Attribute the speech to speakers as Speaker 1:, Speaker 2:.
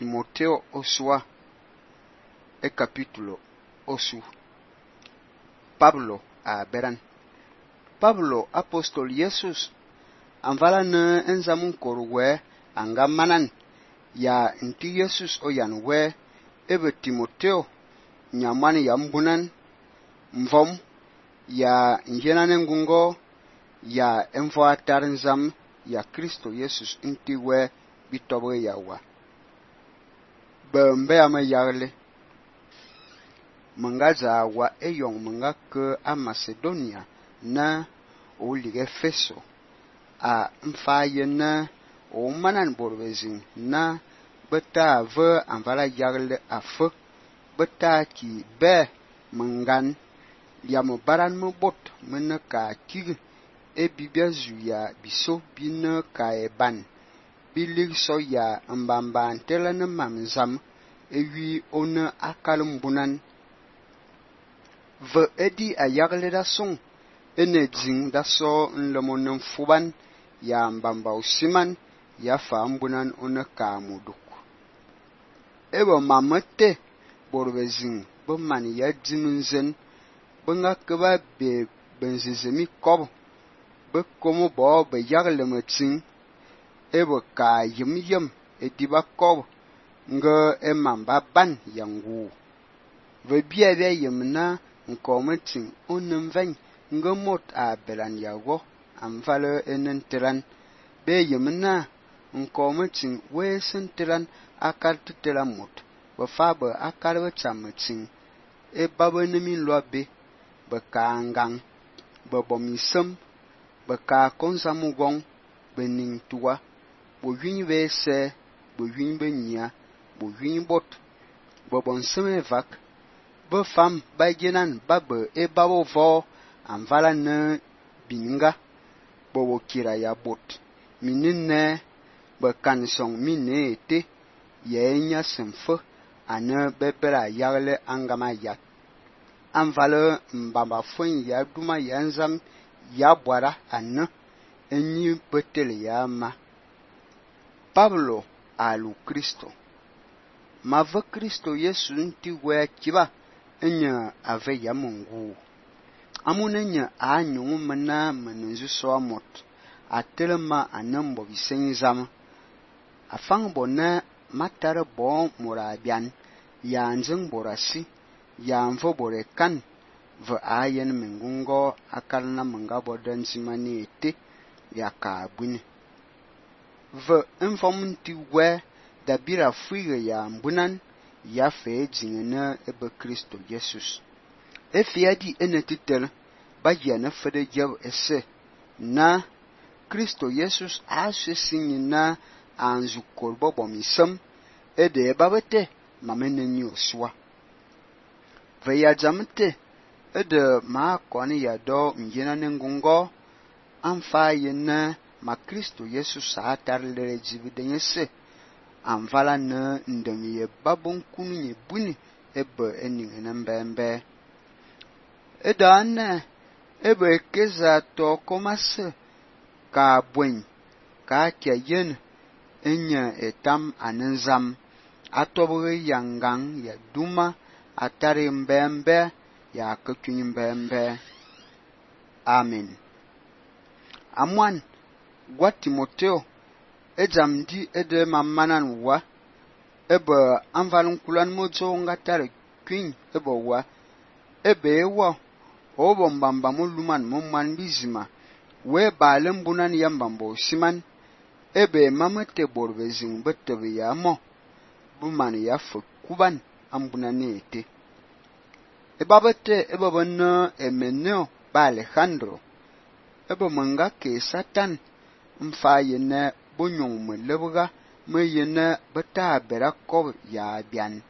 Speaker 1: Timoteo osua e capítulo osu. Pablo a beran. Pablo apostol Jesus anvala ne enzamun korwe anga manan ya nti Jesus oyan we ebe Timoteo nyamani ya mbunan mvom ya njenane ngungo ya envo atar nzam ya Kristo Jesus nti we bitobe yawa bembe ama yagle mangaza wa eyong manga ke a Macedonia na o lige Efeso a mfaye na o manan borbezin na beta ve anvala yagle afe beta ki be mangan ya mo baran mo bot mena ka kig e bibia zuya biso bina ka eban bilig so ya mbamba antela na mamzam ewi ona akalum bunan ve edi a yagle da song ene jing da so nlemonen fuban ya mbamba usiman ya fa mbunan ona ka muduk ebo mamete borbezin bo man ya jinunzen benga keba be benzezemi kob be komo bo be yagle matin ebo ka yim ediba kob nga emamba ban yangu ve bia bia yimna nkometin onenven nga mot a belan yago amvale enentran be yimna nkometin we sentran akar tutela mot be fabe akar be chamatin e babenemi lobe be ka ngang be bomisem be ka konzamugong be ningtua bo yin be se bo yin be nya bo yin bot bo bonseme vak be fam ba genan babe e babo vo anvala ne binga bo kira ya bot minne be kansong minne ete yenya semfo ana bebera yagle angama yak anvala mbamba fon ya duma yanzam ya bwara anna enyi petele ya ma Pablo alu Kristo mave Kristo Yesu nti we kiba enya ave ya Mungu amunenya anyungu mena menenzu so amot atelema anembo bisenzama afang bona matare bon morabian ya nzeng borasi ya mvo borekan ve ayen mengungo akalna mangabo dansimani ete ya kabuni ve informenti we dabira fuige ya mbunan ya fe jingena ebe Kristo Jesus efiadi enetitel bagia na fede jab ese na Kristo Jesus asesinyina anzu korbo bomisem ede babete mameneni oswa ve ya jamte ede ma koni ya do njena nengungo amfa yena ma Kristo Jesus atar lere jibidense anvala na ndemiye babon kunye buni ebe eningena mbembe edane ebe keza to komase ka bwen ka kyen enya etam anenzam atobe yangang ya duma atare mbembe ya kekyun mbembe amen amwan gwa Timoteo ejamdi ede mamanan wa ebe anvalun kulan mozo ngatare kwin ebe wa ebe ewa obo mbamba muluman mumman bizima we balem bunan yambambo siman ebe mamete borbezin betebe ya mo buman ya fukuban ambunane ete ebabete ebe bonna emeneo ba Alejandro ebe manga ke Satan mfa yene bonyong melebga me yene beta berakob ya bian